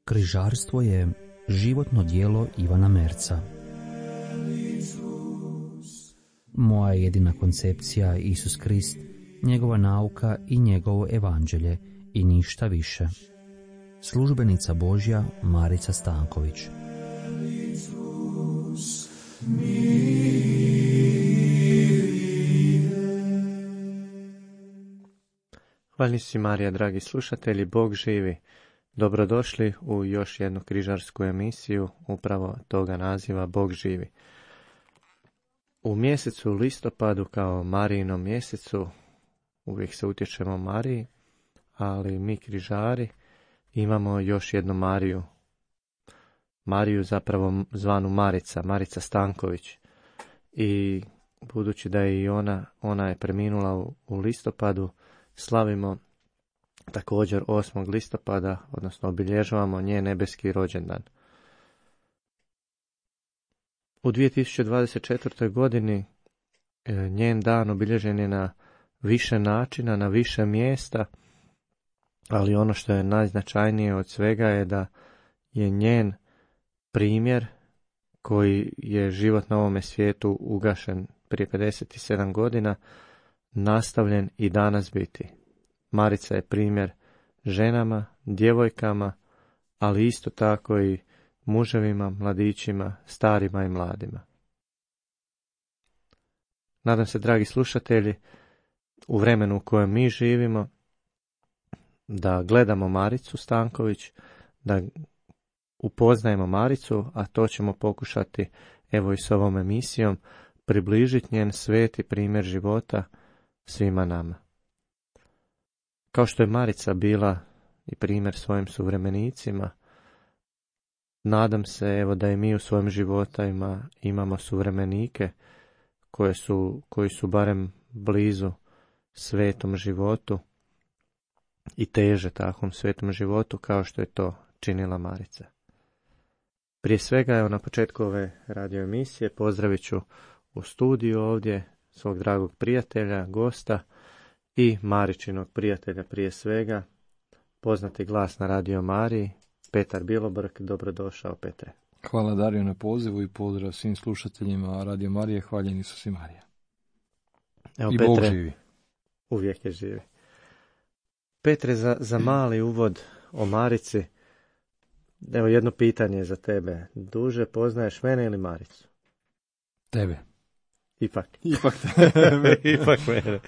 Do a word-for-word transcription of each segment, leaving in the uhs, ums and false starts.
Križarstvo je životno djelo Ivana Merca. Moja jedina koncepcija je Isus Krist, njegova nauka i njegovo evanđelje i ništa više. Službenica Božja Marica Stanković. Hvala si Marija, dragi slušatelji, Bog živi. Dobrodošli u još jednu križarsku emisiju, upravo toga naziva Bog živi. U mjesecu listopadu, kao Marijinom mjesecu, uvijek se utječemo Mariji, ali mi križari imamo još jednu Mariju. Mariju zapravo zvanu Marica, Marica Stanković. I budući da je i ona, ona je preminula u, u listopadu, slavimo također osmog listopada, odnosno obilježavamo njen nebeski rođendan. U dvije tisuće dvadeset četvrtoj. godini njen dan obilježen je na više načina, na više mjesta, ali ono što je najznačajnije od svega je da je njen primjer koji je život na ovome svijetu ugašen prije pedeset sedam godina, nastavljen i danas biti. Marica je primjer ženama, djevojkama, ali isto tako i muževima, mladićima, starima i mladima. Nadam se, dragi slušatelji, u vremenu u kojem mi živimo, da gledamo Maricu Stanković, da upoznajemo Maricu, a to ćemo pokušati evo i s ovom emisijom, približiti njen sveti primjer života svima nama. Kao što je Marica bila i primjer svojim suvremenicima, nadam se evo da i mi u svojim životima imamo suvremenike koje su, koji su barem blizu svetom životu i teže takvom svetom životu kao što je to činila Marica. Prije svega, evo na početku ove radio emisije pozdravit ću u studiju ovdje svog dragog prijatelja, gosta i Maričinog prijatelja prije svega, poznati glas na Radio Mariji, Petar Bilobrk. Dobrodošao, Petre. Hvala Dario na pozivu i pozdrav svim slušateljima Radio Marije, hvaljeni su si Marija. Evo, I Petre, Bog živi. Uvijek je živi. Petre, za, za mali uvod o Marici, evo jedno pitanje za tebe. Duže poznaješ mene ili Maricu? Tebe. Ipak. Ipak tebe. Ipak mene.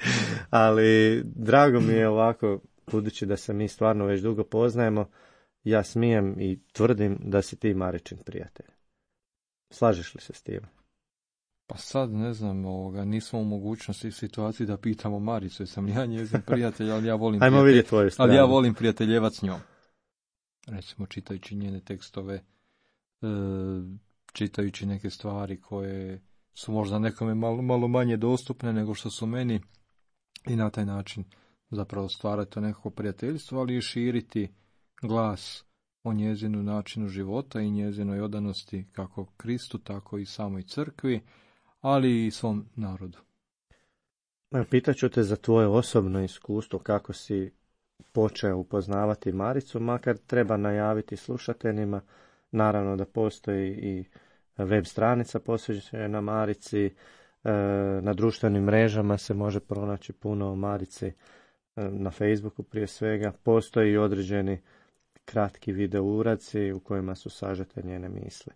Ali drago mi je ovako, budući da se mi stvarno već dugo poznajemo, ja smijem i tvrdim da si ti Maričin prijatelj. Slažeš li se s tim? Pa sad ne znam, ovoga, nismo u mogućnosti i situaciji da pitamo Maricu, jer sam ja njezin prijatelj, ali ja volim Ajmo vidjeti tvoju stranu. Ali ja volim prijateljevat s njom. Recimo, čitajući njene tekstove, e, čitajući neke stvari koje su možda nekome malo, malo manje dostupne nego što su meni, i na taj način zapravo stvarati to nekako prijateljstvo, ali i širiti glas o njezinu načinu života i njezinoj odanosti kako Kristu, tako i samoj crkvi, ali i svom narodu. Pitaću te za tvoje osobno iskustvo, kako si počeo upoznavati Maricu, makar treba najaviti slušateljima, naravno da postoji i web stranica posvećena Marici, na društvenim mrežama se može pronaći puno o Marici, na Facebooku prije svega, postoji i određeni kratki video uradci u kojima su sažete njene misli.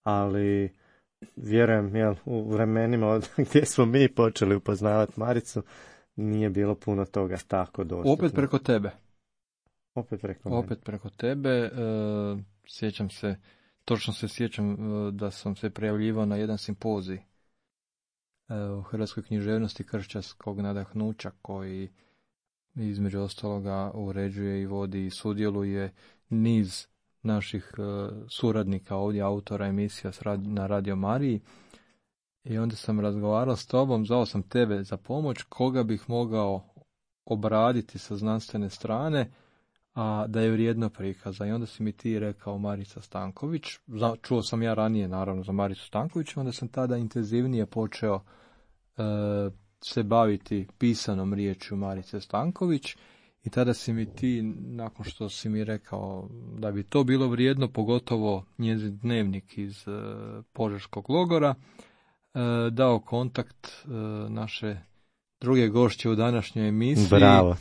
Ali vjerujem, jel, u vremenima od gdje smo mi počeli upoznavati Maricu, nije bilo puno toga tako dostupno. Opet preko tebe. Opet preko Opet mene. preko tebe. E, sjećam se, točno se sjećam e, da sam se prijavljivao na jedan simpozij e, u Hrvatskoj književnosti kršćanskog nadahnuća, koji između ostaloga uređuje i vodi i sudjeluje niz naših uh, suradnika ovdje, autora emisija na Radio Mariji. I onda sam razgovarao s tobom, zvao sam tebe za pomoć, koga bih mogao obraditi sa znanstvene strane, a da je vrijedno prikaza. I onda si mi ti rekao Marica Stanković, čuo sam ja ranije naravno za Maricu Stanković, onda sam tada intenzivnije počeo e, se baviti pisanom riječju Marice Stanković i tada si mi ti, nakon što si mi rekao da bi to bilo vrijedno, pogotovo njezin dnevnik iz e, Požeškog logora, e, dao kontakt e, naše druge gošće u današnjoj emisiji, Bravo.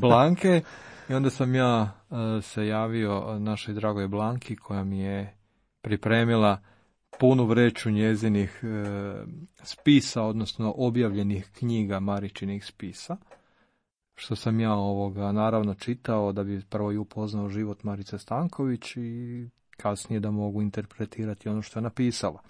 Blanke. I onda sam ja uh, se javio našoj dragoj Blanki koja mi je pripremila punu vreću njezinih uh, spisa, odnosno objavljenih knjiga Maričinih spisa, što sam ja ovoga naravno čitao da bi prvo i upoznao život Marice Stanković i kasnije da mogu interpretirati ono što je napisala.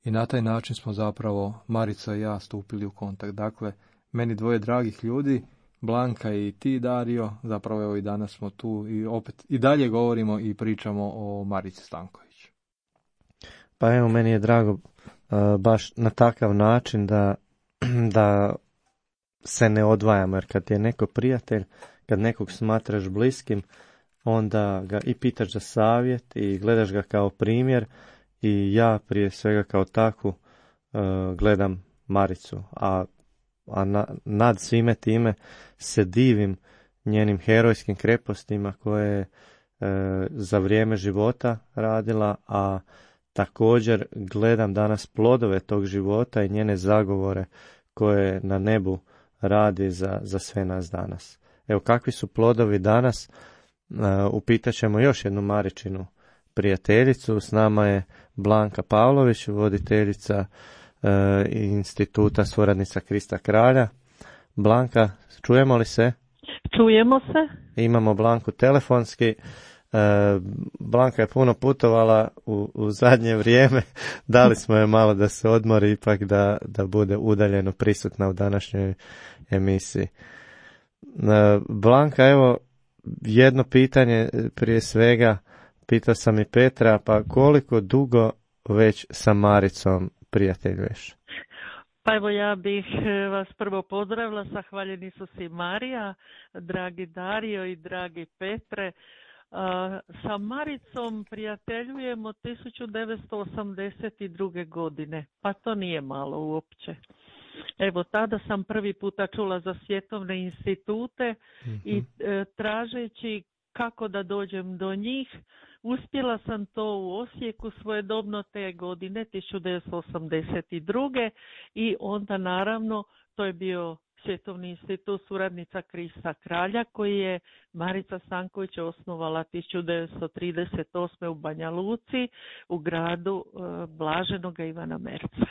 I na taj način smo zapravo Marica i ja stupili u kontakt. Dakle, meni dvoje dragih ljudi, Blanka i ti, Dario, zapravo evo i danas smo tu i opet i dalje govorimo i pričamo o Marici Stanković. Pa evo, meni je drago uh, baš na takav način da, da se ne odvajamo, jer kad je neko prijatelj, kad nekog smatraš bliskim, onda ga i pitaš za savjet i gledaš ga kao primjer i ja prije svega kao takvu uh, gledam Maricu, a a na, nad svime time se divim njenim herojskim krepostima koje je e, za vrijeme života radila, a također gledam danas plodove tog života i njene zagovore koje na nebu radi za, za sve nas danas. Evo, kakvi su plodovi danas, e, upitat ćemo još jednu Maričinu prijateljicu. S nama je Blanka Pavlović, voditeljica instituta Suradnica Krista Kralja. Blanka, čujemo li se? Čujemo se. Imamo Blanku telefonski. Blanka je puno putovala u, u zadnje vrijeme. Dali smo je malo da se odmori, ipak da, da bude udaljeno prisutna u današnjoj emisiji. Blanka, evo jedno pitanje prije svega. Pitao sam i Petra, pa koliko dugo već sa Maricom prijateljuješ? Pa evo, ja bih vas prvo pozdravila, zahvaljeni su si Marija, dragi Dario i dragi Petre. Sa Maricom prijateljujemo tisuću devetsto osamdeset druge. godine, pa to nije malo uopće. Evo, tada sam prvi puta čula za svjetovne institute mm-hmm. i e, tražeći kako da dođem do njih, uspjela sam to u Osijeku svojedobno te godine, tisuću devetsto osamdeset druge. i onda naravno to je bio Svjetovni institut Suradnica Krista Kralja koji je Marica Stanković osnovala tisuću devetsto trideset osme. u Banja Luci u gradu e, Blaženoga Ivana Merca.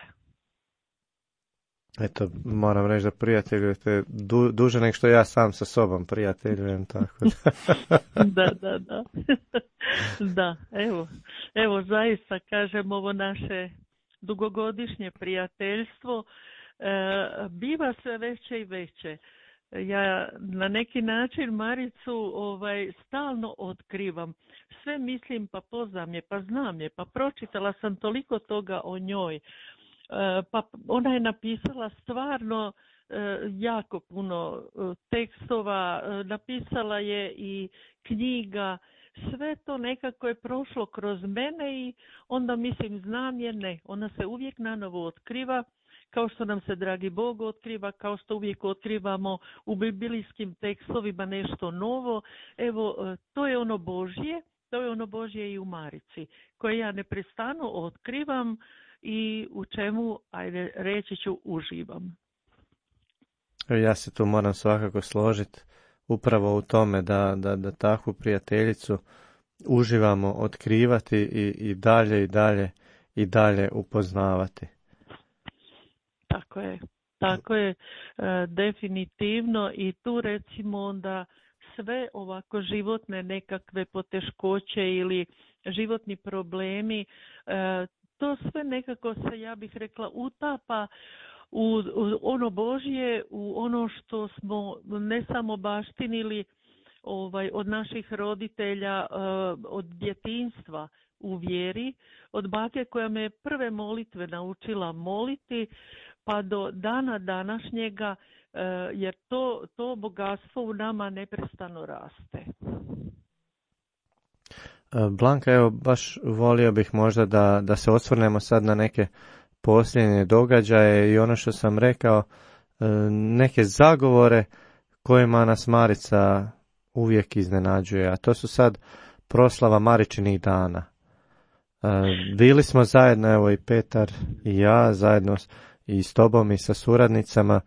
Eto, moram reći da prijateljujete du, duže nego što ja sam sa sobom prijateljujem, tako da. da, da, da. da, evo, evo zaista kažem, ovo naše dugogodišnje prijateljstvo e, biva sve veće i veće. Ja na neki način Maricu ovaj, stalno otkrivam. Sve mislim, pa poznam je, pa znam je, pa pročitala sam toliko toga o njoj. Pa ona je napisala stvarno jako puno tekstova, napisala je i knjiga, sve to nekako je prošlo kroz mene i onda mislim znam je, ne, ona se uvijek nanovo otkriva, kao što nam se dragi Bog otkriva, kao što uvijek otkrivamo u biblijskim tekstovima nešto novo. Evo, to je ono Božje, to je ono Božje i u Marici, koje ja neprestano otkrivam i u čemu, ajde, reći ću, uživam. Ja se tu moram svakako složiti upravo u tome da, da, da takvu prijateljicu uživamo otkrivati i, i dalje i dalje i dalje upoznavati. Tako je, tako je, e, definitivno i tu recimo onda sve ovako životne nekakve poteškoće ili životni problemi, e, to sve nekako se, ja bih rekla, utapa u, u ono Božje, u ono što smo ne samo baštinili ovaj, od naših roditelja, od djetinjstva u vjeri, od bake koja me prve molitve naučila moliti, pa do dana današnjega, jer to, to bogatstvo u nama neprestano raste. Blanka, evo, baš volio bih možda da, da se osvrnemo sad na neke posljednje događaje i ono što sam rekao, neke zagovore kojima nas Marica uvijek iznenađuje, a to su sad proslava Maričinih dana. Bili smo zajedno, evo i Petar i ja, zajedno i s tobom i sa suradnicama,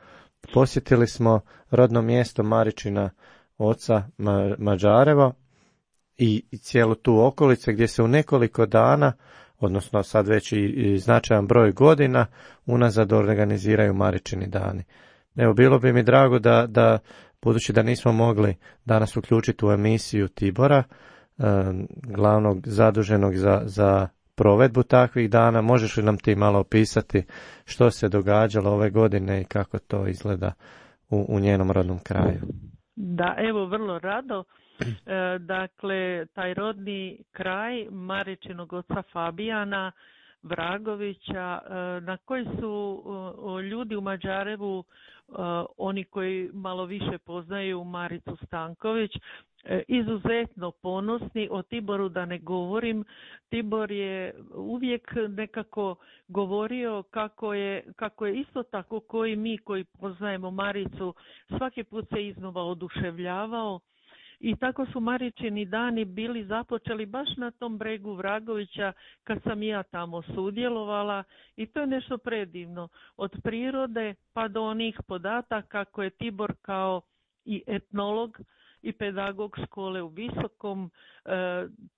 posjetili smo rodno mjesto Maričina oca Mađarevo i, i cijelu tu okolice gdje se u nekoliko dana, odnosno sad već i, i značajan broj godina, unazad organiziraju Maričini dani. Evo, bilo bi mi drago da, da budući da nismo mogli danas uključiti u emisiju Tibora, eh, glavnog zaduženog za, za provedbu takvih dana, možeš li nam ti malo opisati što se događalo ove godine i kako to izgleda u, u njenom rodnom kraju? Da, evo, vrlo rado. E, dakle, taj rodni kraj Maričinog oca Fabijana Vragovića, e, na koji su o, ljudi u Mađarevu, e, oni koji malo više poznaju Maricu Stanković, e, izuzetno ponosni. O Tiboru da ne govorim. Tibor je uvijek nekako govorio kako je, kako je isto tako koji mi koji poznajemo Maricu svaki put se iznova oduševljavao. I tako su Maričini dani bili započeli baš na tom bregu Vragovića kad sam ja tamo sudjelovala i to je nešto predivno. Od prirode pa do onih podataka koje Tibor kao i etnolog i pedagog škole u Visokom e,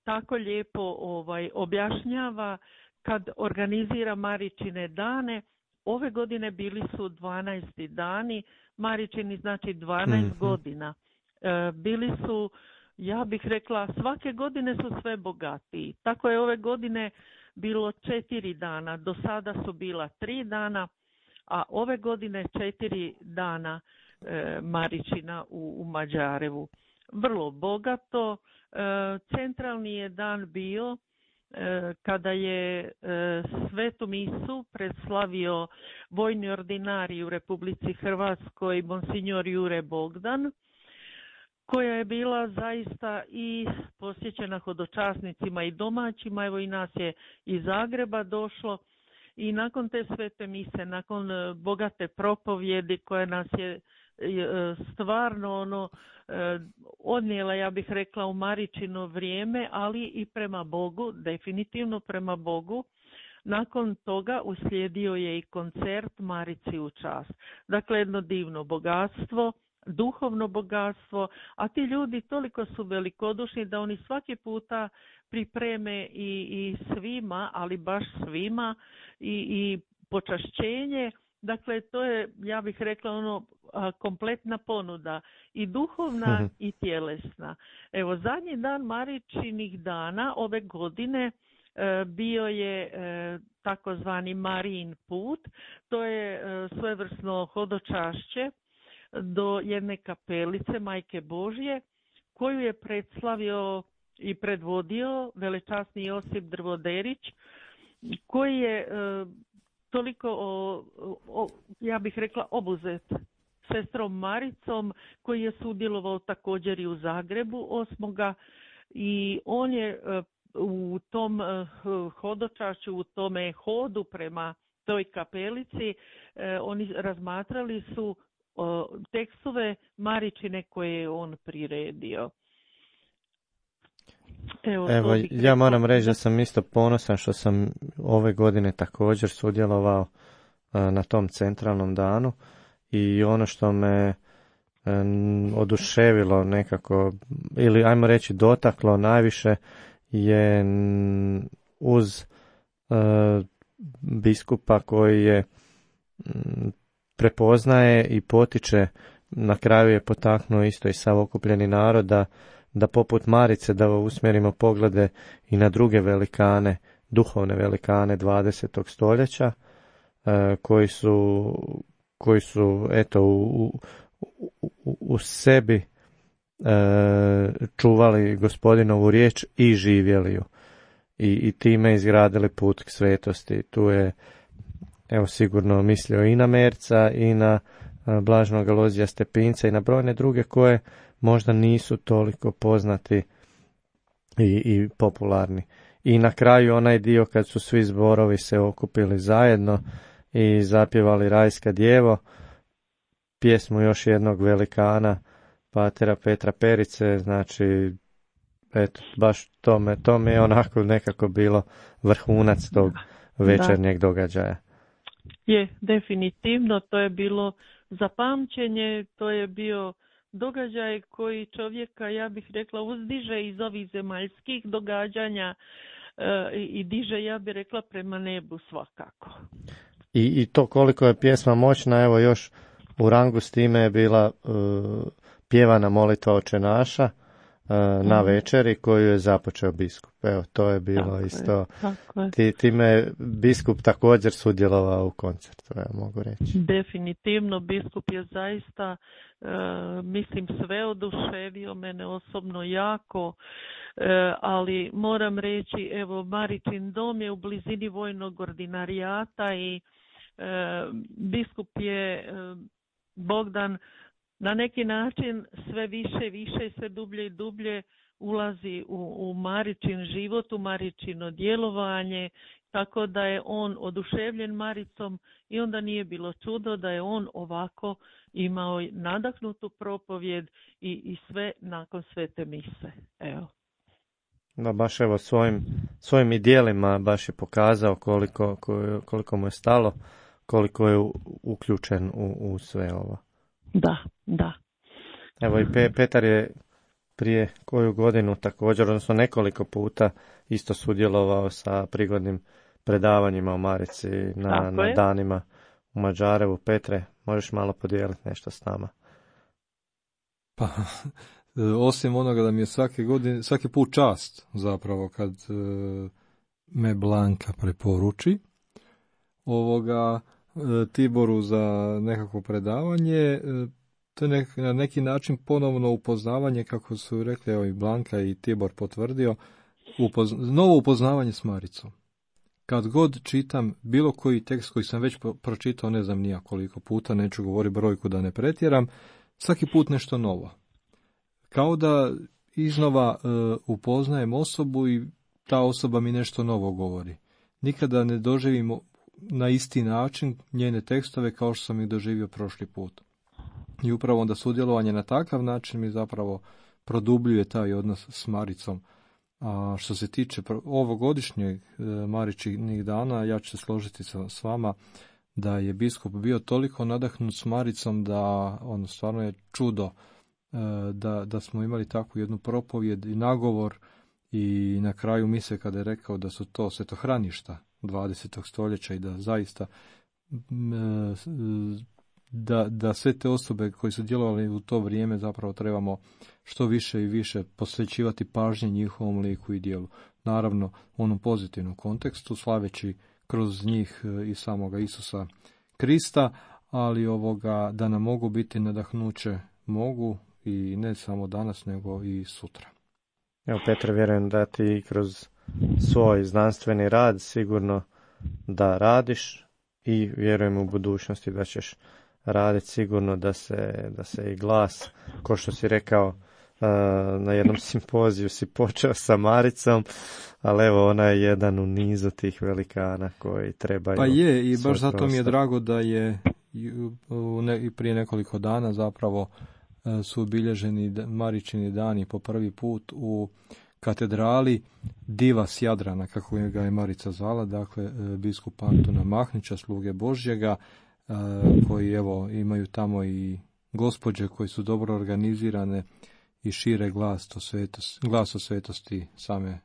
tako lijepo ovaj, objašnjava kad organizira Maričine dane. Ove godine bili su dvanaesti dani, Maričini znači dvanaest mm-hmm. godina. Bili su, ja bih rekla, svake godine su sve bogatiji. Tako je ove godine bilo četiri dana, do sada su bila tri dana, a ove godine četiri dana e, Maričina u, u Mađarevu. Vrlo bogato. E, centralni je dan bio e, kada je e, svetu misu predslavio vojni ordinarij u Republici Hrvatskoj monsignor Jure Bogdan, koja je bila zaista i posjećena hodočasnicima i domaćima. Evo i nas je iz Zagreba došlo i nakon te svete mise, nakon bogate propovjedi koja nas je stvarno ono odnijela, ja bih rekla, u Maričino vrijeme, ali i prema Bogu, definitivno prema Bogu. Nakon toga uslijedio je i koncert Marici u čast. Dakle, jedno divno bogatstvo, duhovno bogatstvo, a ti ljudi toliko su velikodušni da oni svaki puta pripreme i, i svima, ali baš svima i, i počašćenje. Dakle, to je, ja bih rekla, ono a, kompletna ponuda i duhovna uh-huh. i tjelesna. Evo, zadnji dan Maričinih dana ove godine e, bio je e, takozvani Marijin put. To je e, svojevrsno hodočašće do jedne kapelice Majke Božje, koju je predslavio i predvodio velečasni Josip Drvoderić, koji je e, toliko, o, o, ja bih rekla, obuzet sestrom Maricom, koji je sudjelovao također i u Zagrebu osmoga i on je e, u tom e, hodočašću, u tome hodu prema toj kapelici, e, oni razmatrali su o, tekstove Maričine koje je on priredio. Evo, Evo ja moram reći da sam isto ponosan što sam ove godine također sudjelovao a, na tom centralnom danu i ono što me a, oduševilo nekako, ili ajmo reći dotaklo najviše, je n, uz a, biskupa koji je m, prepoznaje i potiče, na kraju je potaknuo isto i sav okupljeni narod da, da poput Marice da usmjerimo poglede i na druge velikane, duhovne velikane dvadesetog stoljeća, e, koji su, koji su eto u, u, u, u sebi e, čuvali Gospodinovu riječ i živjeli ju i, i time izgradili put k svetosti. Tu je evo sigurno mislio i na Merca i na Blaženog Alojzija Stepinca i na brojne druge koje možda nisu toliko poznati i, i popularni. I na kraju onaj dio kad su svi zborovi se okupili zajedno i zapjevali Rajska djevo, pjesmu još jednog velikana, patera Petra Perice, znači, eto, baš tome, tome je onako nekako bilo vrhunac tog večernjeg da. događaja. Je, definitivno, to je bilo zapamćenje, to je bio događaj koji čovjeka, ja bih rekla, uzdiže iz ovih zemaljskih događanja e, i diže, ja bih rekla, prema nebu svakako. I, i to koliko je pjesma moćna, evo još u rangu s time je bila uh, pjevana molitva Oče naša uh, mm. na večeri koju je započeo biskup. Evo, to je bilo tako isto. Je, tako je. Ti, time je biskup također sudjelovao u koncertu, ja mogu reći. Definitivno, biskup je zaista, uh, mislim, sve oduševio mene osobno jako, uh, ali moram reći, evo, Maričin dom je u blizini vojnog ordinarijata i uh, biskup je uh, Bogdan na neki način sve više i više, sve dublje i dublje ulazi u, u Maričin život, u Maričino djelovanje, tako da je on oduševljen Maricom i onda nije bilo čudo da je on ovako imao nadahnutu propovjed i, i sve nakon svete mise. Evo. Da, baš evo svojim, svojim i djelima baš je pokazao koliko, koliko mu je stalo, koliko je uključen u, u sve ovo. Da, da. Evo i Pe, Petar je prije koju godinu također, odnosno nekoliko puta isto sudjelovao sa prigodnim predavanjima u Marici na, na danima u Mađarevu. Petre, možeš malo podijeliti nešto s nama? Pa, osim onoga da mi je svake godine, svaki put čast zapravo kad e, me Blanka preporuči ovoga Tiboru za nekako predavanje, to je nek, na neki način ponovno upoznavanje, kako su rekli, evo i Blanka i Tibor potvrdio, upozna, novo upoznavanje s Maricom. Kad god čitam bilo koji tekst koji sam već pročitao, ne znam nija koliko puta, neću govoriti brojku da ne pretjeram, svaki put nešto novo. Kao da iznova uh, upoznajem osobu i ta osoba mi nešto novo govori. Nikada ne doživimo na isti način njene tekstove kao što sam ih doživio prošli put. I upravo onda sudjelovanje na takav način mi zapravo produbljuje taj odnos s Maricom. A što se tiče ovogodišnjeg e, Maričinih dana, ja ću se složiti sa, s vama da je biskup bio toliko nadahnut s Maricom da ono stvarno je čudo e, da, da smo imali takvu jednu propovjed i nagovor i na kraju mise kada je rekao da su to svetohraništa dvadesetog stoljeća i da zaista da, da sve te osobe koji su djelovali u to vrijeme zapravo trebamo što više i više posvećivati pažnje njihovom liku i djelu. Naravno u onom pozitivnom kontekstu, slaveći kroz njih i samoga Isusa Krista, ali ovoga da nam mogu biti nadahnuće mogu i ne samo danas nego i sutra. Evo Petre, vjerujem da ti kroz svoj znanstveni rad sigurno da radiš i vjerujem u budućnosti da ćeš raditi sigurno da se, da se i glas, ko što si rekao na jednom simpoziju si počeo sa Maricom, ali evo ona je jedan u nizu tih velikana koji trebaju. Pa je i baš zato mi je drago da je i prije nekoliko dana zapravo su obilježeni Maričini dani po prvi put u katedrali Diva s Jadrana, kako ga je Marica zvala, dakle biskup Antuna Mahnića, sluge Božjega, koji evo imaju tamo i gospođe koji su dobro organizirane i šire glas o svetosti, glas o svetosti same, e,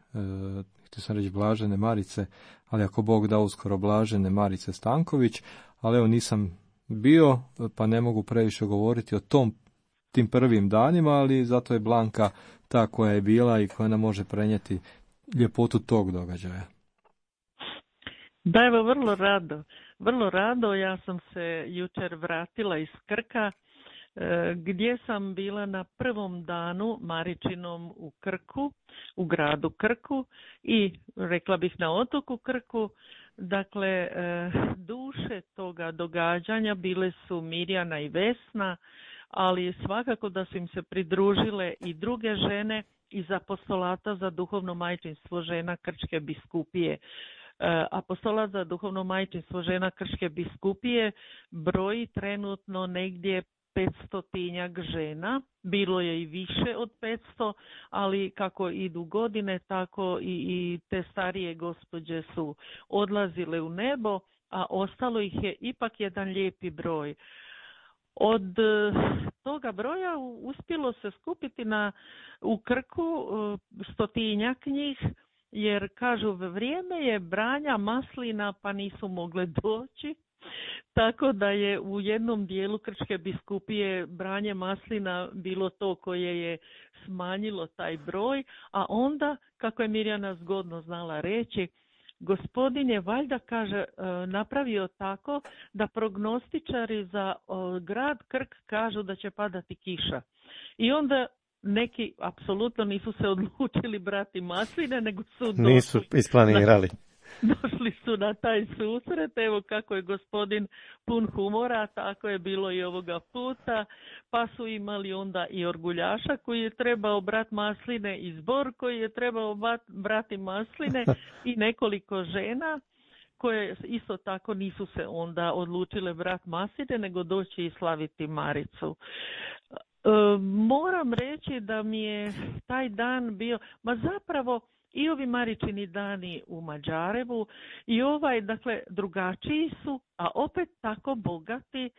htio sam reći blažene Marice, ali ako Bog da uskoro blažene Marice Stanković, ali evo nisam bio, pa ne mogu previše govoriti o tom tim prvim danima, ali zato je Blanka ta koja je bila i koja nam može prenijeti ljepotu tog događaja. Da, evo vrlo rado, vrlo rado, ja sam se jučer vratila iz Krka, gdje sam bila na prvom danu Maričinom u Krku, u gradu Krku i rekla bih na otoku Krku. Dakle, duše toga događanja bile su Mirjana i Vesna, ali svakako da su im se pridružile i druge žene iz apostolata za duhovno majčinstvo žena Krčke biskupije. Apostolat za duhovno majčinstvo žena Krčke biskupije broji trenutno negdje petstotinjak žena, bilo je i više od petsto, ali kako idu godine, tako i, i te starije gospođe su odlazile u nebo, a ostalo ih je ipak jedan lijepi broj. Od toga broja uspjelo se skupiti na, u Krku stotinjak njih, jer kažu vrijeme je branja maslina pa nisu mogle doći. Tako da je u jednom dijelu Krčke biskupije branje maslina bilo to koje je smanjilo taj broj, a onda, kako je Mirjana zgodno znala reći, Gospodin je valjda, kaže, napravio tako da prognostičari za grad Krk kažu da će padati kiša. I onda neki apsolutno nisu se odlučili brati masline, nego su došli. Nisu isplanirali. Došli su na taj susret, evo kako je gospodin pun humora, tako je bilo i ovoga puta, pa su imali onda i orguljaša koji je trebao brati masline i zbor koji je trebao brati masline i nekoliko žena koje isto tako nisu se onda odlučile brati masline, nego doći i slaviti Maricu. E, moram reći da mi je taj dan bio, ma zapravo i ovi Maričini dani u Mađarevu i ovaj, dakle, drugačiji su, a opet tako bogati,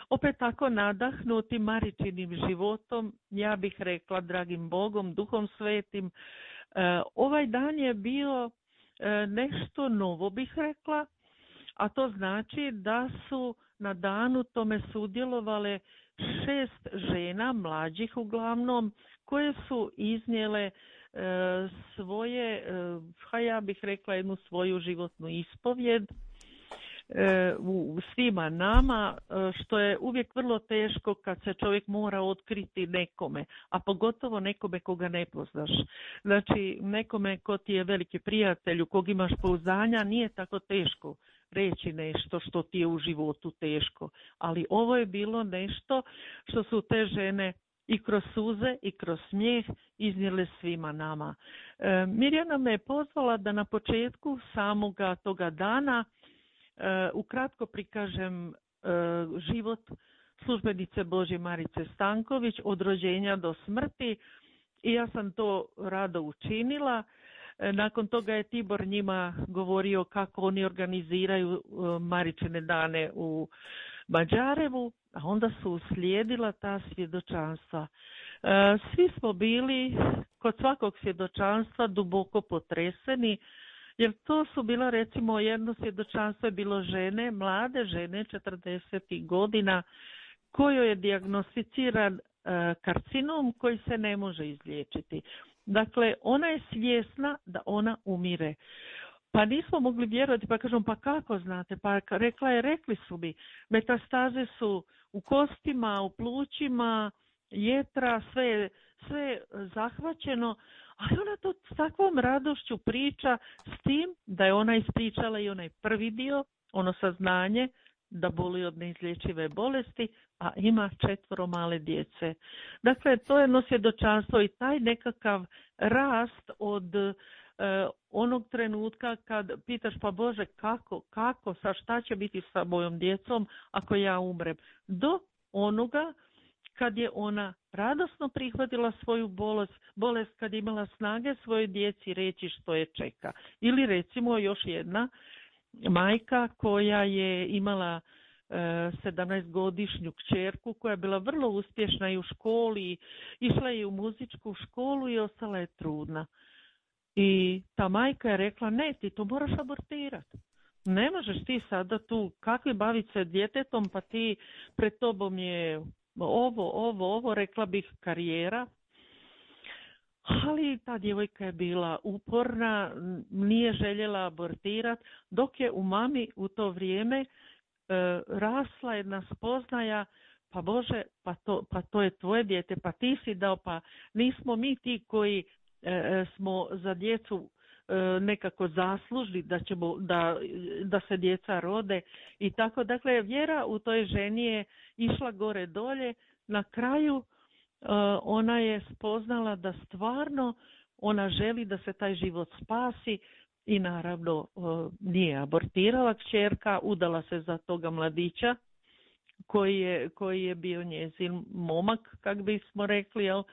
opet tako nadahnuti Maričinim životom, ja bih rekla dragim Bogom, Duhom Svetim. E, ovaj dan je bio e, nešto novo, bih rekla, a to znači da su na danu tome sudjelovale šest žena, mlađih uglavnom, koje su iznijele E, svoje, e, ha ja bih rekla jednu svoju životnu ispovjed e, u svima nama, e, što je uvijek vrlo teško kad se čovjek mora otkriti nekome, a pogotovo nekome koga ne poznaš. Znači nekome ko ti je veliki prijatelj, u kog imaš pouzdanja, nije tako teško reći nešto što ti je u životu teško, ali ovo je bilo nešto što su te žene i kroz suze i kroz smijeh iznijele svima nama. E, Mirjana me je pozvala da na početku samoga toga dana e, ukratko prikažem e, život službenice Božje Marice Stanković od rođenja do smrti i ja sam to rado učinila. E, nakon toga je Tibor njima govorio kako oni organiziraju e, Maričine dane u Mađarevu, a onda su uslijedila ta svjedočanstva. E, svi smo bili kod svakog svjedočanstva duboko potreseni, jer to su bila, recimo, jedno svjedočanstvo je bilo žene, mlade žene, četrdesetih godina, kojoj je dijagnosticiran e, karcinom koji se ne može izliječiti. Dakle, ona je svjesna da ona umire. Pa nismo mogli vjerovati, pa kažem, pa kako znate? Pa rekla je, rekli su mi, metastaze su u kostima, u plućima, jetra, sve, sve je zahvaćeno, ali ona to s takvom radošću priča, s tim da je ona ispričala i onaj prvi dio, ono saznanje da boli od neizlječive bolesti, a ima četvoro male djece. Dakle, to je jedno svjedočanstvo i taj nekakav rast od Uh, onog trenutka kad pitaš, pa Bože, kako, kako, sa šta će biti sa mojom djecom ako ja umrem, do onoga kad je ona radosno prihvatila svoju bolest, bolest kad je imala snage svojoj djeci reći što je čeka. Ili recimo još jedna majka koja je imala sedamnaestogodišnju kćerku koja je bila vrlo uspješna i u školi, išla je u muzičku školu i ostala je trudna. I ta majka je rekla, ne, ti to moraš abortirati. Ne možeš ti sada tu kakvi baviti se djetetom, pa ti pred tobom je ovo, ovo, ovo, rekla bih karijera. Ali ta djevojka je bila uporna, nije željela abortirati, dok je u mami u to vrijeme e, rasla jedna spoznaja, pa Bože, pa to, pa to je tvoje dijete, pa ti si dao, pa nismo mi ti koji e, smo za djecu e, nekako zaslužni da, ćemo, da, da se djeca rode i tako. Dakle, vjera u toj ženi je išla gore dolje, na kraju ona je spoznala da stvarno ona želi da se taj život spasi i naravno nije abortirala kćerka, udala se za toga mladića koji je, koji je bio njezin momak, kak bismo rekli, jel?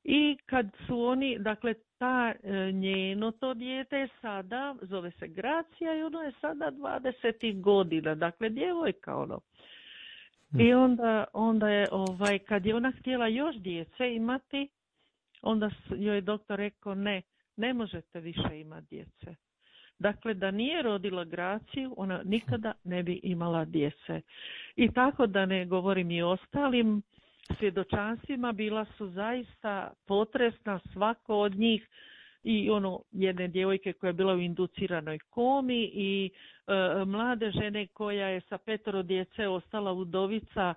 I kad su oni, dakle, ta njeno to dijete je sada, zove se Gracija i ono je sada dvadeset godina, dakle, djevojka ono. I onda, onda je, ovaj, kad je ona htjela još djece imati, onda joj je doktor rekao, ne, ne možete više imati djece. Dakle, da nije rodila Graciju, ona nikada ne bi imala djece. I tako da ne govorim i ostalim svjedočanstvima, bila su zaista potresna, svako od njih, i ono jedne djevojke koja je bila u induciranoj komi i e, mlade žene koja je sa petoro djece ostala udovica,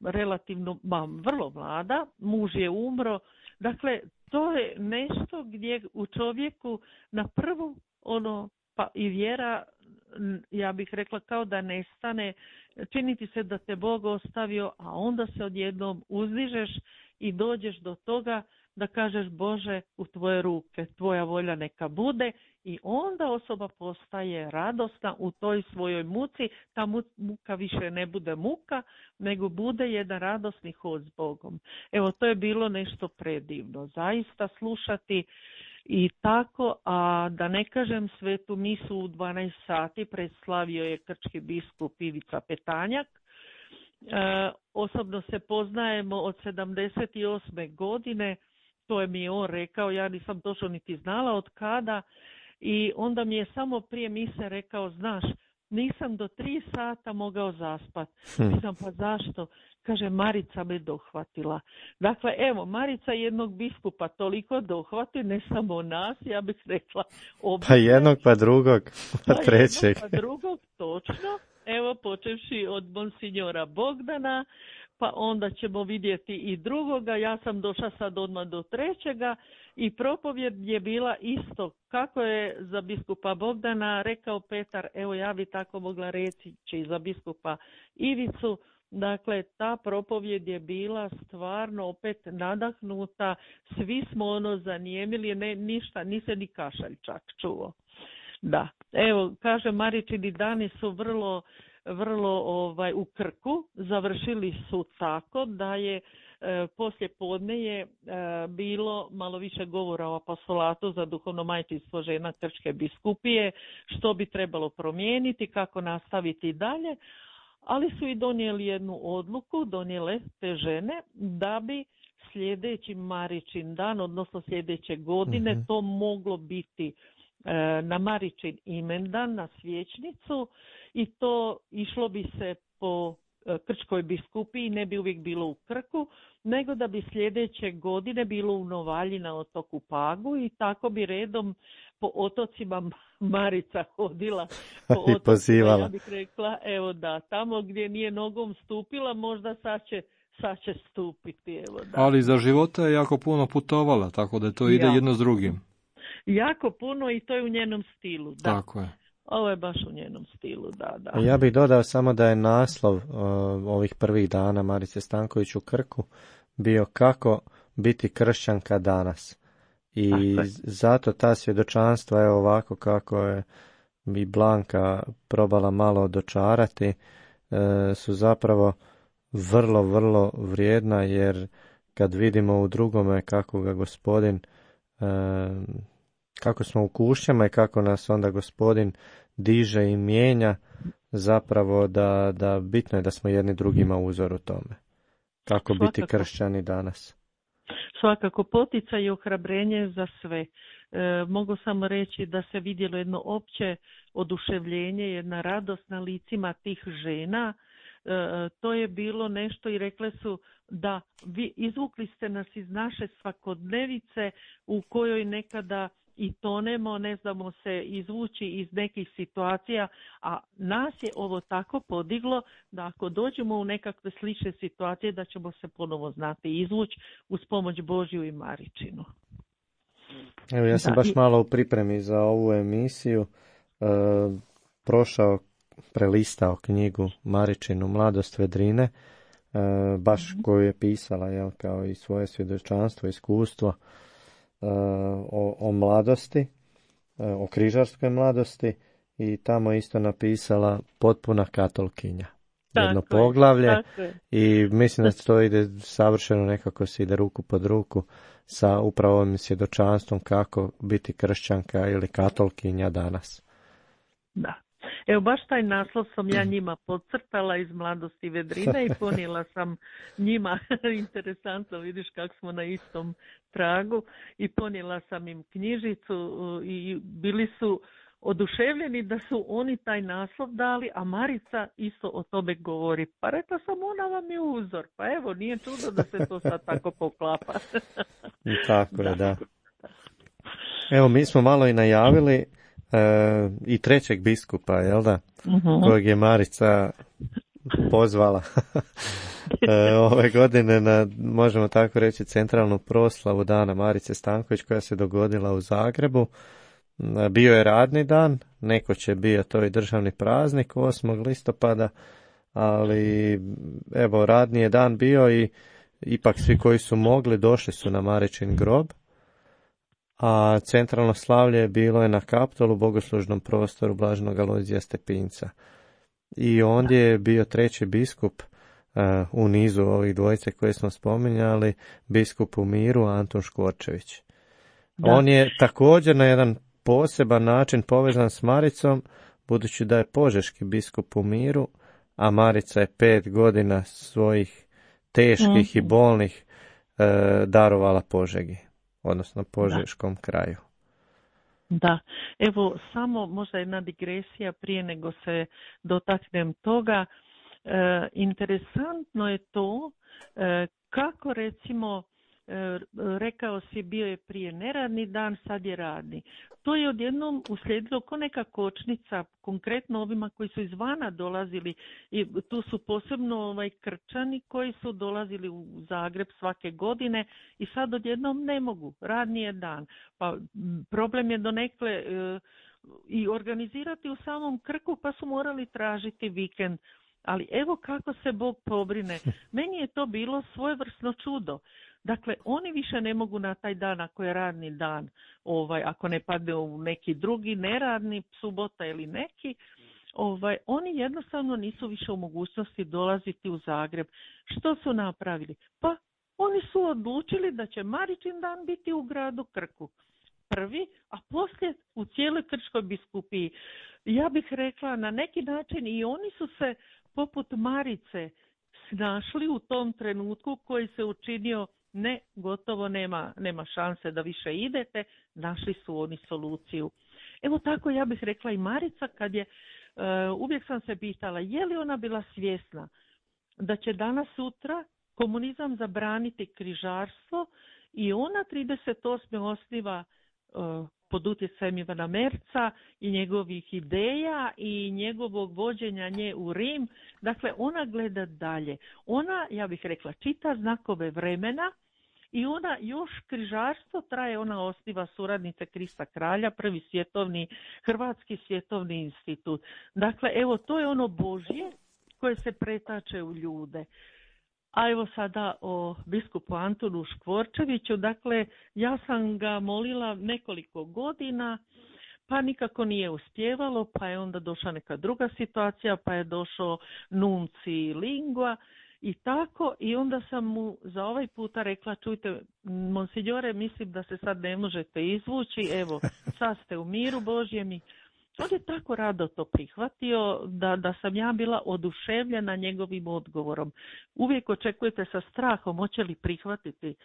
relativno, ma, vrlo mlada, muž je umro. Dakle, to je nešto gdje u čovjeku na prvu ono, pa i vjera, ja bih rekla, kao da nestane, čini ti se da te Bog ostavio, a onda se odjednom uzdižeš i dođeš do toga da kažeš, Bože, u tvoje ruke, tvoja volja neka bude, i onda osoba postaje radosna u toj svojoj muci. Ta muka više ne bude muka, nego bude jedan radosni hod s Bogom. Evo, to je bilo nešto predivno, zaista slušati i tako, a da ne kažem, svetu misu u dvanaest sati predslavio je krčki biskup Ivica Petanjak. E, osobno se poznajemo od sedamdeset osme godine, to je mi on rekao, ja nisam točno niti znala od kada, i onda mi je samo prije mise rekao, znaš, nisam do tri sata mogao zaspat. Hm. Pisam, pa zašto? Kaže, Marica me dohvatila. Dakle, evo, Marica jednog biskupa toliko dohvati, ne samo nas, ja bih rekla obje. Pa jednog, pa drugog, pa, pa trećeg. Jednog, pa drugog, točno. Evo, počevši od monsinjora Bogdana, pa onda ćemo vidjeti i drugoga. Ja sam došla sad odmah do trećega i propovjed je bila isto. Kako je za biskupa Bogdana rekao Petar, evo ja bi tako mogla reći i za biskupa Ivicu. Dakle, ta propovjed je bila stvarno opet nadahnuta. Svi smo ono zanijemili, ne, ništa, ni se ni kašalj čak čuo. Da, evo, kaže, Maričini dani su vrlo vrlo ovaj u Krku, završili su tako da je e, poslije podne je e, bilo malo više govora o apostolatu za duhovno majčinstvo žena Krčke biskupije, što bi trebalo promijeniti, kako nastaviti dalje, ali su i donijeli jednu odluku, donijele te žene, da bi sljedeći Maričin dan, odnosno sljedeće godine, mm-hmm. to moglo biti na Maričin imendan, na svječnicu, i to išlo bi se po Krčkoj biskupiji, ne bi uvijek bilo u Krku, nego da bi sljedeće godine bilo u Novalji na otoku Pagu, i tako bi redom po otocima Marica hodila, po otocima, pozivala. Ja bih rekla, evo da, tamo gdje nije nogom stupila, možda sad će sad će stupiti. Evo, da. Ali za života je jako puno putovala, tako da to ide ja. jedno s drugim. Jako puno, i to je u njenom stilu. Da. Tako je. Ovo je baš u njenom stilu, da, da. Ja bih dodao samo da je naslov uh, ovih prvih dana Marice Stanković u Krku bio Kako biti kršćanka danas. I zato ta svjedočanstva je ovako kako je i Blanka probala malo dočarati, uh, su zapravo vrlo, vrlo vrijedna, jer kad vidimo u drugome kako ga Gospodin uh, kako smo u kušnjama i kako nas onda Gospodin diže i mijenja, zapravo da, da bitno je da smo jedni drugima uzor u tome. Kako Svakako. biti kršćani danas. Svakako, poticaj i ohrabrenje za sve. E, mogu samo reći da se vidjelo jedno opće oduševljenje, jedna radost na licima tih žena. E, to je bilo nešto, i rekle su da vi izvukli ste nas iz naše svakodnevice u kojoj nekada i tonemo, ne znamo se izvući iz nekih situacija, a nas je ovo tako podiglo da ako dođemo u nekakve slične situacije, da ćemo se ponovo znati izvući uz pomoć Božju i Maričinu. Evo, ja sam da, baš i... malo u pripremi za ovu emisiju e, prošao, prelistao knjigu Maričinu Mladost Vedrine, baš Mhm. koju je pisala, jel, kao i svoje svjedočanstvo, iskustvo uh, o, o mladosti, uh, o križarskoj mladosti, i tamo isto napisala Potpuna katolkinja. Jedno Tako je, poglavlje, tako je. i mislim da to ide savršeno, nekako se ide ruku pod ruku sa upravo ovim svjedočanstvom kako biti kršćanka ili katolkinja danas. Da. Evo, baš taj naslov sam ja njima podcrtala iz Mladosti vedrine i ponijela sam njima, interesantno, vidiš kako smo na istom tragu, i ponijela sam im knjižicu i bili su oduševljeni da su oni taj naslov dali, a Marica isto o tome govori. Pa rekla sam, ona vam je uzor, pa evo, nije čudo da se to sad tako poklapa. Tako je, da. Evo, mi smo malo i najavili E, i trećeg biskupa, jel da, uh-huh. kojeg je Marica pozvala e, ove godine na, možemo tako reći, centralnu proslavu Dana Marice Stanković, koja se dogodila u Zagrebu. Bio je radni dan, neko će bio to i državni praznik osmog listopada, ali evo, radni je dan bio i ipak svi koji su mogli došli su na Maričin grob. A centralno slavlje je bilo je na Kaptolu, bogoslužnom prostoru Blaženog Alojzija Stepinca. I ondje je bio treći biskup uh, u nizu ovih dvojice koje smo spominjali, biskup u miru Antun Škorčević. Da. On je također na jedan poseban način povezan s Maricom, budući da je požeški biskup u miru, a Marica je pet godina svojih teških mm. i bolnih uh, darovala Požegi, odnosno Požeškom da. kraju. Da, evo samo možda jedna digresija prije nego se dotaknem toga. E, interesantno je to e, kako recimo e, rekao si bio je prije neradni dan, sad je radni. To je odjednom uslijedilo ko neka kočnica, konkretno ovima koji su izvana dolazili, i tu su posebno ovaj Krčani koji su dolazili u Zagreb svake godine i sad odjednom ne mogu, radni je dan. Pa problem je donekle e, i organizirati u samom Krku, pa su morali tražiti vikend. Ali evo kako se Bog pobrine. Meni je to bilo svojevrsno čudo. Dakle, oni više ne mogu na taj dan, ako je radni dan, ovaj, ako ne padne u neki drugi neradni, subota ili neki, ovaj, oni jednostavno nisu više u mogućnosti dolaziti u Zagreb. Što su napravili? Pa oni su odlučili da će Maričin dan biti u gradu Krku. Prvi, a poslije u cijeloj Krčkoj biskupiji. Ja bih rekla na neki način i oni su se poput Marice snašli u tom trenutku koji se učinio ne, gotovo nema, nema šanse da više idete, našli su oni soluciju. Evo tako ja bih rekla i Marica, kad je, uh, uvijek sam se pitala, je li ona bila svjesna da će danas sutra komunizam zabraniti križarstvo i ona trideset osme osniva uh, pod utjecajem Ivana Merca i njegovih ideja i njegovog vođenja nje u Rim. Dakle, ona gleda dalje. Ona, ja bih rekla, čita znakove vremena i ona još križarstvo traje, ona osniva suradnice Krista Kralja, prvi svjetovni, Hrvatski svjetovni institut. Dakle, evo, to je ono Božje koje se pretače u ljude. A evo sada o biskupu Antunu Škvorčeviću. Dakle, ja sam ga molila nekoliko godina, pa nikako nije uspjevalo, pa je onda došla neka druga situacija, pa je došao nunci lingua i tako. I onda sam mu za ovaj puta rekla, čujte, monsignore, mislim da se sad ne možete izvući, evo, sad ste u miru Božjem. I on je tako rado to prihvatio da, da sam ja bila oduševljena njegovim odgovorom. Uvijek očekujete sa strahom hoće li prihvatiti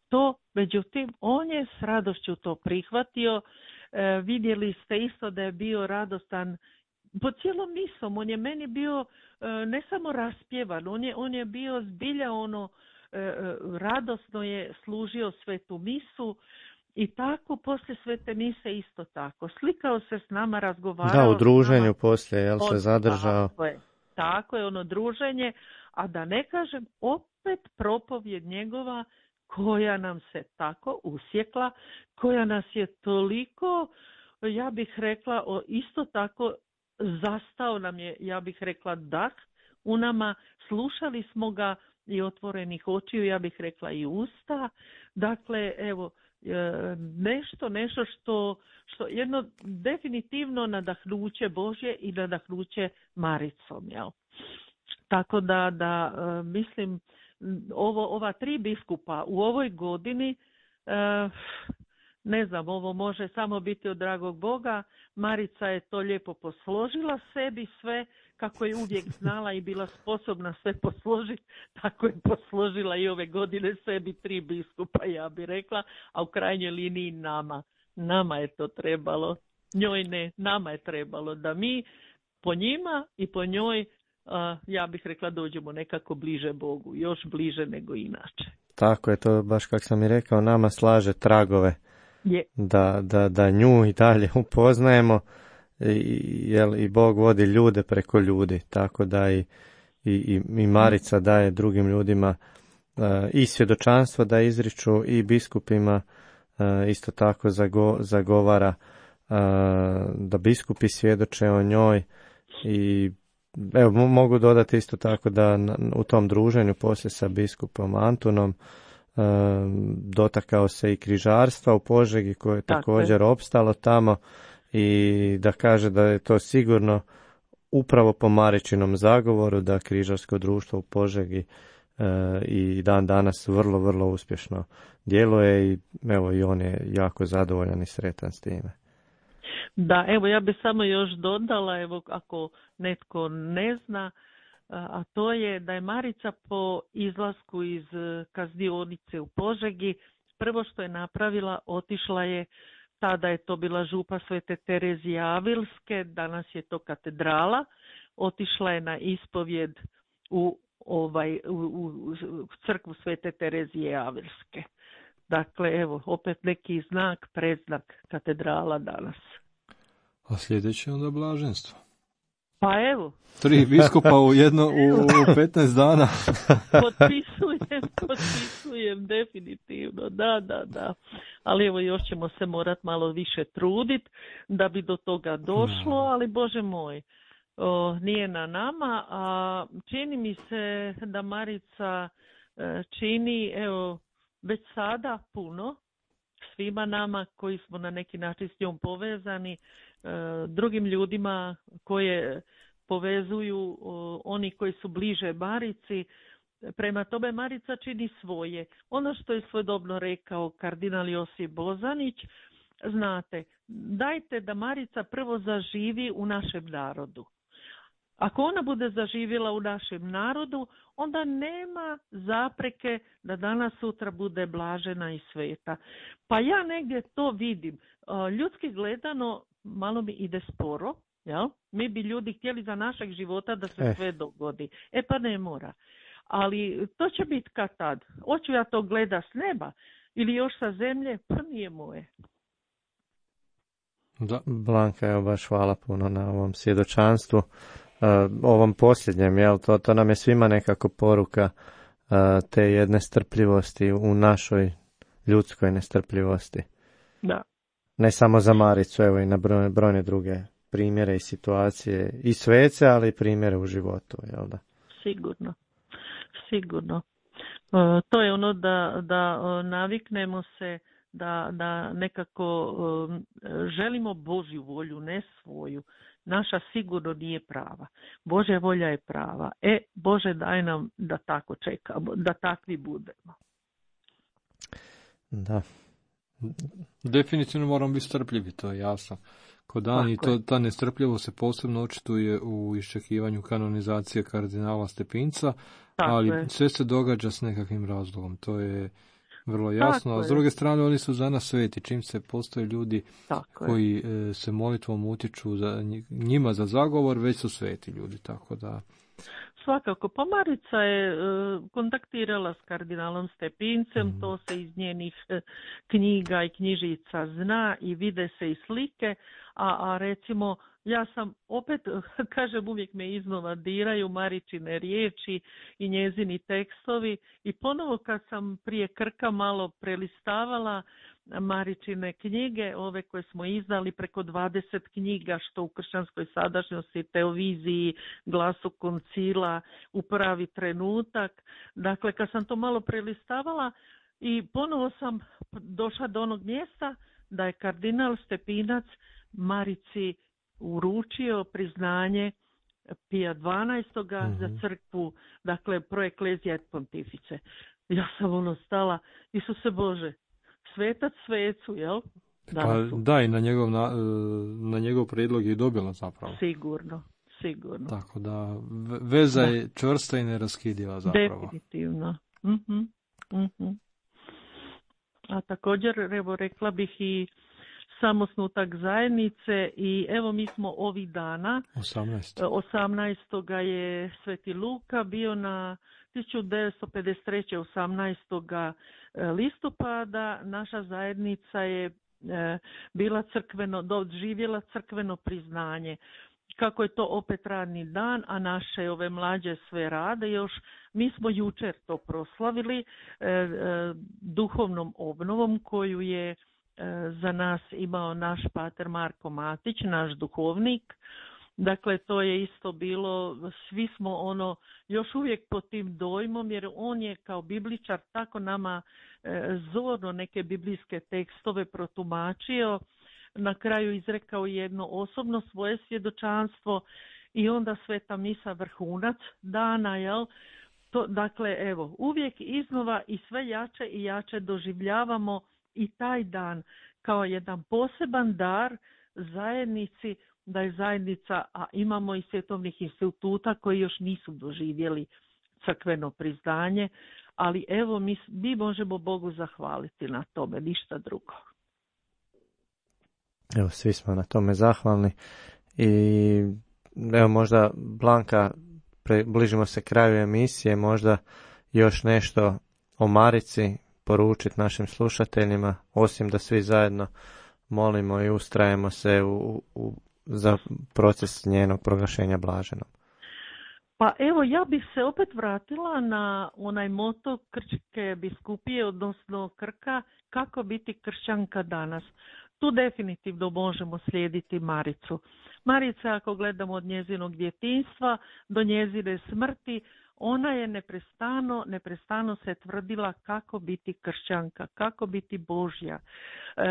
to, međutim on je s radošću to prihvatio. E, vidjeli ste isto da je bio radostan po cijelom misom. On je meni bio e, ne samo raspjevan, on je, on je bio zbilja ono, e, radosno je služio svetu misu. I tako poslije svete mise isto tako. Slikao se s nama, razgovarao. Da, u druženju poslije, jel se zadržao? Tako je, tako je ono druženje, a da ne kažem opet propovjed njegova koja nam se tako usjekla, koja nas je toliko, ja bih rekla, isto tako zastao nam je, ja bih rekla, dah u nama, slušali smo ga i otvorenih očiju, ja bih rekla i usta. Dakle, evo, nešto, nešto što, što jedno definitivno nadahnuće Božje i nadahnuće Maricom, jel? Tako da, da mislim, ovo, ova tri biskupa u ovoj godini, ne znam, ovo može samo biti od dragog Boga. Marica je to lijepo posložila sebi sve, kako je uvijek znala i bila sposobna sve posložiti, tako je posložila i ove godine sebi tri biskupa, ja bi rekla, a u krajnjoj liniji nama. Nama je to trebalo, njoj ne, nama je trebalo da mi po njima i po njoj, ja bih rekla, dođemo nekako bliže Bogu, još bliže nego inače. Tako je, to baš kako sam i rekao, nama slaže tragove. Je. Da, da, da nju i dalje upoznajemo, i, jel, i Bog vodi ljude preko ljudi, tako da i, i, i Marica daje drugim ljudima uh, i svjedočanstvo da izriču, i biskupima uh, isto tako zago, zagovara uh, da biskupi svjedoče o njoj. I evo, mogu dodati isto tako da na, u tom druženju poslije sa biskupom Antunom dotakao se i križarstva u Požegi, koje je također opstalo tamo, i da kaže da je to sigurno upravo po Maričinom zagovoru da križarsko društvo u Požegi e, i dan danas vrlo, vrlo uspješno djeluje, i evo, i on je jako zadovoljan i sretan s time. Da, evo, ja bih samo još dodala, evo, ako netko ne zna, a to je da je Marica po izlasku iz kaznionice u Požegi, prvo što je napravila, otišla je, tada je to bila župa Svete Terezije Avilske, danas je to katedrala, otišla je na ispovjed u, ovaj, u, u crkvu Svete Terezije Avilske. Dakle, evo, opet neki znak, predznak katedrala danas. A sljedeće onda blaženstvo. Pa evo. Tri biskupa u jedno, u, u petnaest dana. Potpisujem, potpisujem, definitivno, da, da, da. Ali evo, još ćemo se morat malo više trudit da bi do toga došlo, ali Bože moj, o, nije na nama, a čini mi se da Marica e, čini, evo, već sada puno svima nama koji smo na neki način s njom povezani, drugim ljudima koje povezuju oni koji su bliže Marici. Prema tome Marica čini svoje. Ono što je svojedobno rekao kardinal Josip Bozanić, znate, dajte da Marica prvo zaživi u našem narodu. Ako ona bude zaživjela u našem narodu, onda nema zapreke da danas sutra bude blažena i sveta. Pa ja negdje to vidim. Ljudski gledano malo mi ide sporo, jel? Mi bi ljudi htjeli za našeg života da se eh. sve dogodi. E pa ne mora. Ali to će biti kad tad. Hoću ja to gleda s neba ili još sa zemlje, pa nije moje. Da. Blanka, evo, baš hvala puno na ovom svjedočanstvu, uh, ovom posljednjem, jel? To, to nam je svima nekako poruka uh, te jedne strpljivosti u našoj ljudskoj nestrpljivosti. Da. Ne samo za Maricu, evo i na brojne, brojne druge primjere i situacije i svece, ali i primjere u životu, jel da? Sigurno, sigurno. Uh, to je ono da, da uh, naviknemo se da, da nekako uh, želimo Božju volju, ne svoju. Naša sigurno nije prava. Božja volja je prava. E, Bože, daj nam da tako čekamo, da takvi budemo. Da. Definitivno moramo biti strpljivi, to je jasno. Kod Ani to, ta nestrpljivost se posebno očituje u iščekivanju kanonizacije kardinala Stepinca, tako ali je. Sve se događa s nekakvim razlogom, to je vrlo jasno. Tako a s druge strane, oni su za nas sveti, čim se postoje ljudi tako koji je. se molitvom utiču za njima za zagovor, već su sveti ljudi, tako da... Svakako, pa Marica je e, kontaktirala s kardinalom Stepincem, mm. to se iz njenih e, knjiga i knjižica zna i vide se i slike, a, a recimo ja sam opet, kažem, uvijek me iznova diraju Maričine riječi i njezini tekstovi i ponovo kad sam prije Krka malo prelistavala Maričine knjige, ove koje smo izdali, preko dvadeset knjiga, što u kršćanskoj sadašnjosti, televiziji, Glasu koncila, U pravi trenutak. Dakle, kad sam to malo prelistavala i ponovo sam došla do onog mjesta da je kardinal Stepinac Marici uručio priznanje Pija dvanaestog Mm-hmm. za crkvu, dakle, pro ecclesia et pontifice. Ja sam ono stala, Isuse Bože, svetac svecu, jel? Pa, da, i na njegov, na, na njegov prijedlog je dobila zapravo. Sigurno, sigurno. Tako da, veza da. je čvrsta i neraskidiva zapravo. Definitivno. Mm-hmm. Mm-hmm. A također, evo, rekla bih i samosnutak zajednice i evo mi smo ovih dana, osamnaestog je Sveti Luka bio na tisuću devetsto pedeset treće. osamnaestog listopada, naša zajednica je bila crkveno, doživjela crkveno priznanje. Kako je to opet radni dan, a naše ove mlađe sve rade još, mi smo jučer to proslavili e, e, duhovnom obnovom koju je za nas imao naš pater Marko Matić, naš duhovnik. Dakle, to je isto bilo, svi smo ono još uvijek pod tim dojmom, jer on je kao bibličar tako nama e, zorno neke biblijske tekstove protumačio, na kraju izrekao jedno osobno svoje svjedočanstvo i onda sveta misa vrhunac dana, jel? To, dakle, evo, uvijek iznova i sve jače i jače doživljavamo i taj dan kao jedan poseban dar zajednici, da je zajednica, a imamo i svjetovnih instituta koji još nisu doživjeli crkveno priznanje, ali evo mi, mi možemo Bogu zahvaliti na tome, ništa drugo. Evo, svi smo na tome zahvalni i evo možda, Blanka, bližimo se kraju emisije, možda još nešto o Marici poručiti našim slušateljima, osim da svi zajedno molimo i ustrajemo se u, u, za proces njenog proglašenja blaženom. Pa evo, ja bih se opet vratila na onaj moto Krčke biskupije, odnosno Krka, kako biti kršćanka danas. Tu definitivno možemo slijediti Maricu. Marica, ako gledamo od njezinog djetinjstva do njezine smrti, ona je neprestano, neprestano se tvrdila kako biti kršćanka, kako biti Božja. E,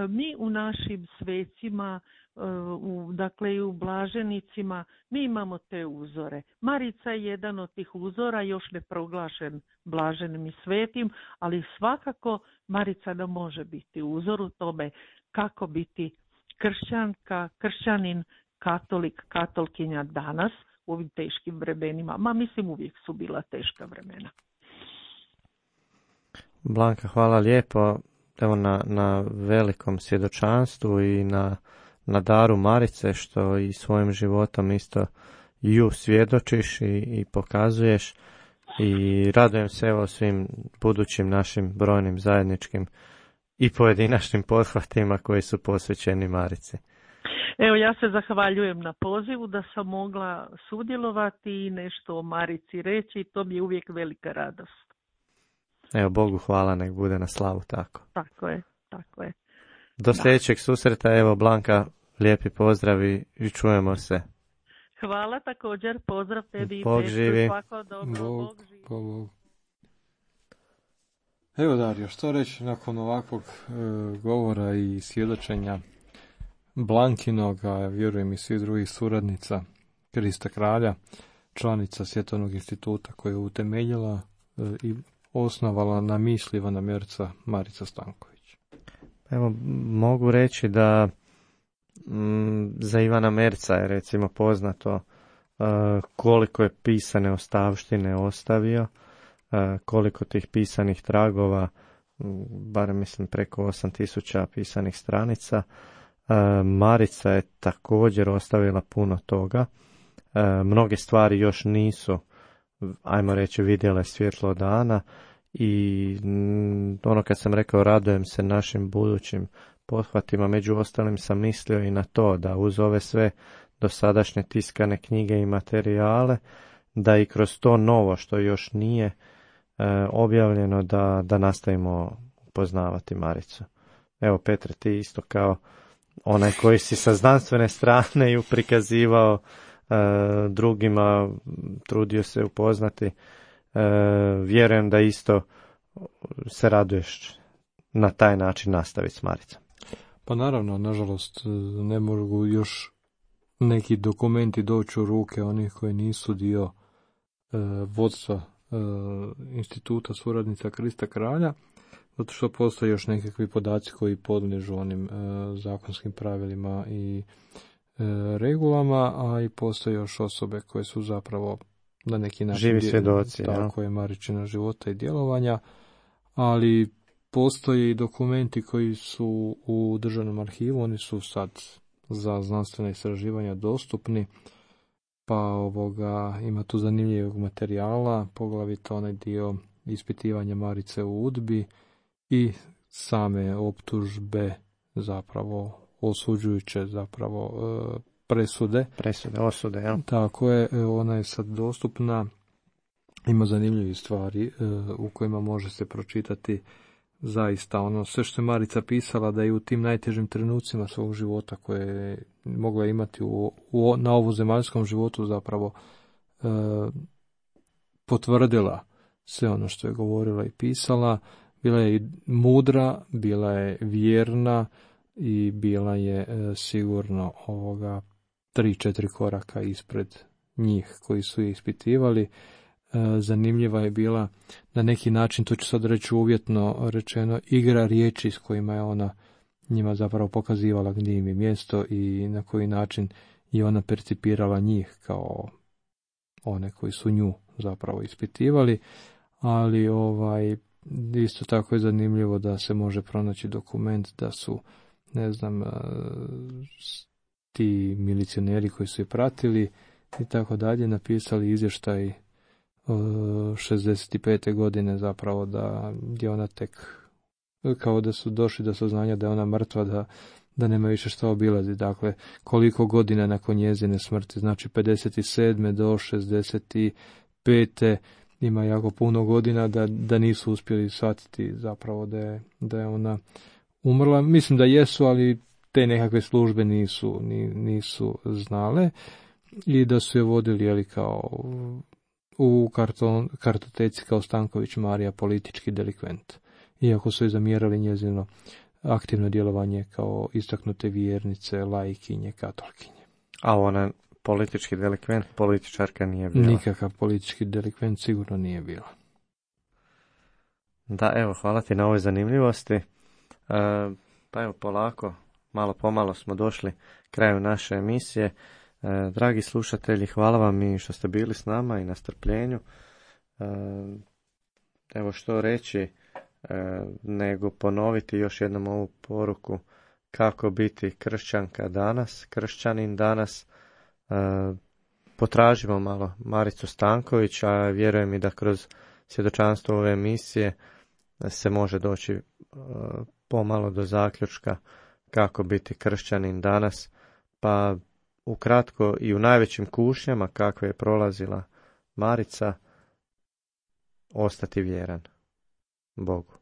mi u našim svecima, e, u, dakle i u blaženicima, mi imamo te uzore. Marica je jedan od tih uzora, još ne proglašen blaženim i svetim, ali svakako Marica nam može biti uzor u tome kako biti kršćanka, kršćanin, katolik, katolkinja danas, u ovim teškim vremenima. Ma mislim, uvijek su bila teška vremena. Blanka, hvala lijepo evo na, na velikom svjedočanstvu i na, na daru Marice, što i svojim životom isto ju svjedočiš i, i pokazuješ. I radujem se evo svim budućim našim brojnim zajedničkim i pojedinačnim pothvatima koji su posvećeni Marici. Evo, ja se zahvaljujem na pozivu da sam mogla sudjelovati i nešto o Marici reći, to mi je uvijek velika radost. Evo, Bogu hvala, nek bude na slavu tako. Tako je, tako je. Do sljedećeg susreta, evo Blanka, lijepi pozdravi i čujemo se. Hvala također, pozdrav tebi. Bog živi. Svako dobro, Bog, Bog živi. Bog. Evo Dario, što reći nakon ovakvog e, govora i svjedočenja Blankinog, a vjerujem i svih drugih suradnica Krista Kralja, članica Svjetovnog instituta koja je utemeljila e, i osnovala na misli Ivana Merca Marica Stanković. Evo, mogu reći da m, za Ivana Merca je recimo poznato e, koliko je pisane ostavštine ostavio, e, koliko tih pisanih tragova, barem mislim preko osam tisuća pisanih stranica. Marica je također ostavila puno toga. Mnoge stvari još nisu, ajmo reći, vidjele svjetlo dana i ono kad sam rekao radujem se našim budućim pothvatima. Među ostalim sam mislio i na to da uz ove sve dosadašnje tiskane knjige i materijale, da i kroz to novo što još nije e, objavljeno, da, da nastavimo poznavati Maricu. Evo Petre, ti isto kao onaj koji si sa znanstvene strane ju prikazivao e, drugima, trudio se upoznati, e, vjerujem da isto se raduješ na taj način nastaviti s Maricom. Pa naravno, nažalost, ne mogu još neki dokumenti doći u ruke onih koji nisu dio e, vodstva e, instituta suradnica Krista Kralja, zato što postoje još nekakvi podaci koji podliježu onim e, zakonskim pravilima i e, regulama, a i postoje još osobe koje su zapravo na neki način živi svjedoci, tako je Maričina života i djelovanja, ali postoje i dokumenti koji su u državnom arhivu, oni su sad za znanstvena istraživanja dostupni, pa ovoga ima tu zanimljivog materijala, poglavito onaj dio ispitivanja Marice u Udbi i same optužbe, zapravo osuđujuće zapravo presude. Presude, osude, ja. Tako je, ona je sad dostupna, ima zanimljivih stvari u kojima može se pročitati zaista ono sve što je Marica pisala, da je u tim najtežim trenucima svog života koje je mogla imati u, u, na ovu zemaljskom životu zapravo e, potvrdila sve ono što je govorila i pisala. Bila je i mudra, bila je vjerna i bila je e, sigurno ovoga tri, četiri koraka ispred njih koji su je ispitivali. Zanimljiva je bila na neki način, to ću sad reći uvjetno rečeno, igra riječi s kojima je ona njima zapravo pokazivala gdje im je mjesto i na koji način je ona percipirala njih kao one koji su nju zapravo ispitivali, ali ovaj isto tako je zanimljivo da se može pronaći dokument da su, ne znam, ti milicioneri koji su je pratili i tako dalje napisali izvještaj šezdeset pete godine zapravo da je ona tek kao da su došli do saznanja da je ona mrtva, da, da nema više što obilazi. Dakle, koliko godina nakon njezine smrti, znači pedeset sedme do šezdeset pete ima jako puno godina da, da nisu uspjeli shvatiti zapravo da je, da je ona umrla. Mislim da jesu, ali te nekakve službe nisu, nisu znale i da su je vodili jeli, kao u karton, kartoteci kao Stanković Marija politički delikvent, iako su je zamjerali njezino aktivno djelovanje kao istaknute vjernice, laikinje, katolkinje. A ona politički delikvent, političarka nije bila? Nikakav politički delikvent sigurno nije bila. Da, evo, hvala ti na ovoj zanimljivosti. E, pa evo, polako, malo pomalo smo došli kraju naše emisije. E, dragi slušatelji, hvala vam i što ste bili s nama i na strpljenju. E, evo što reći, e, nego ponoviti još jednom ovu poruku kako biti kršćanka danas, kršćanin danas. E, potražimo malo Maricu Stanković, a vjerujem i da kroz svjedočanstvo ove emisije se može doći e, pomalo do zaključka kako biti kršćanin danas, pa ukratko i u najvećim kušnjama kakve je prolazila Marica, ostati vjeran Bogu.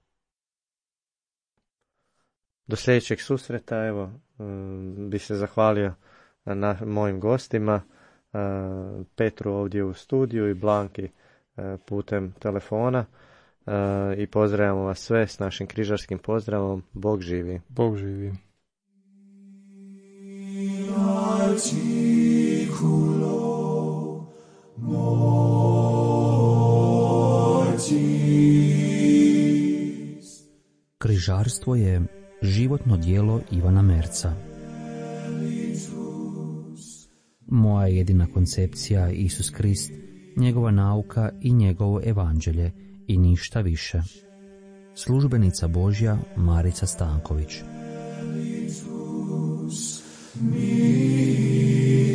Do sljedećeg susreta, evo, bi se zahvalio na mojim gostima, Petru ovdje u studiju i Blanki putem telefona, i pozdravljamo vas sve s našim križarskim pozdravom. Bog živi. Bog živi. Križarstvo je životno djelo Ivana Merca. Moja jedina koncepcija Isus Krist, njegova nauka i njegovo evanđelje i ništa više. Službenica Božja Marica Stanković. Me.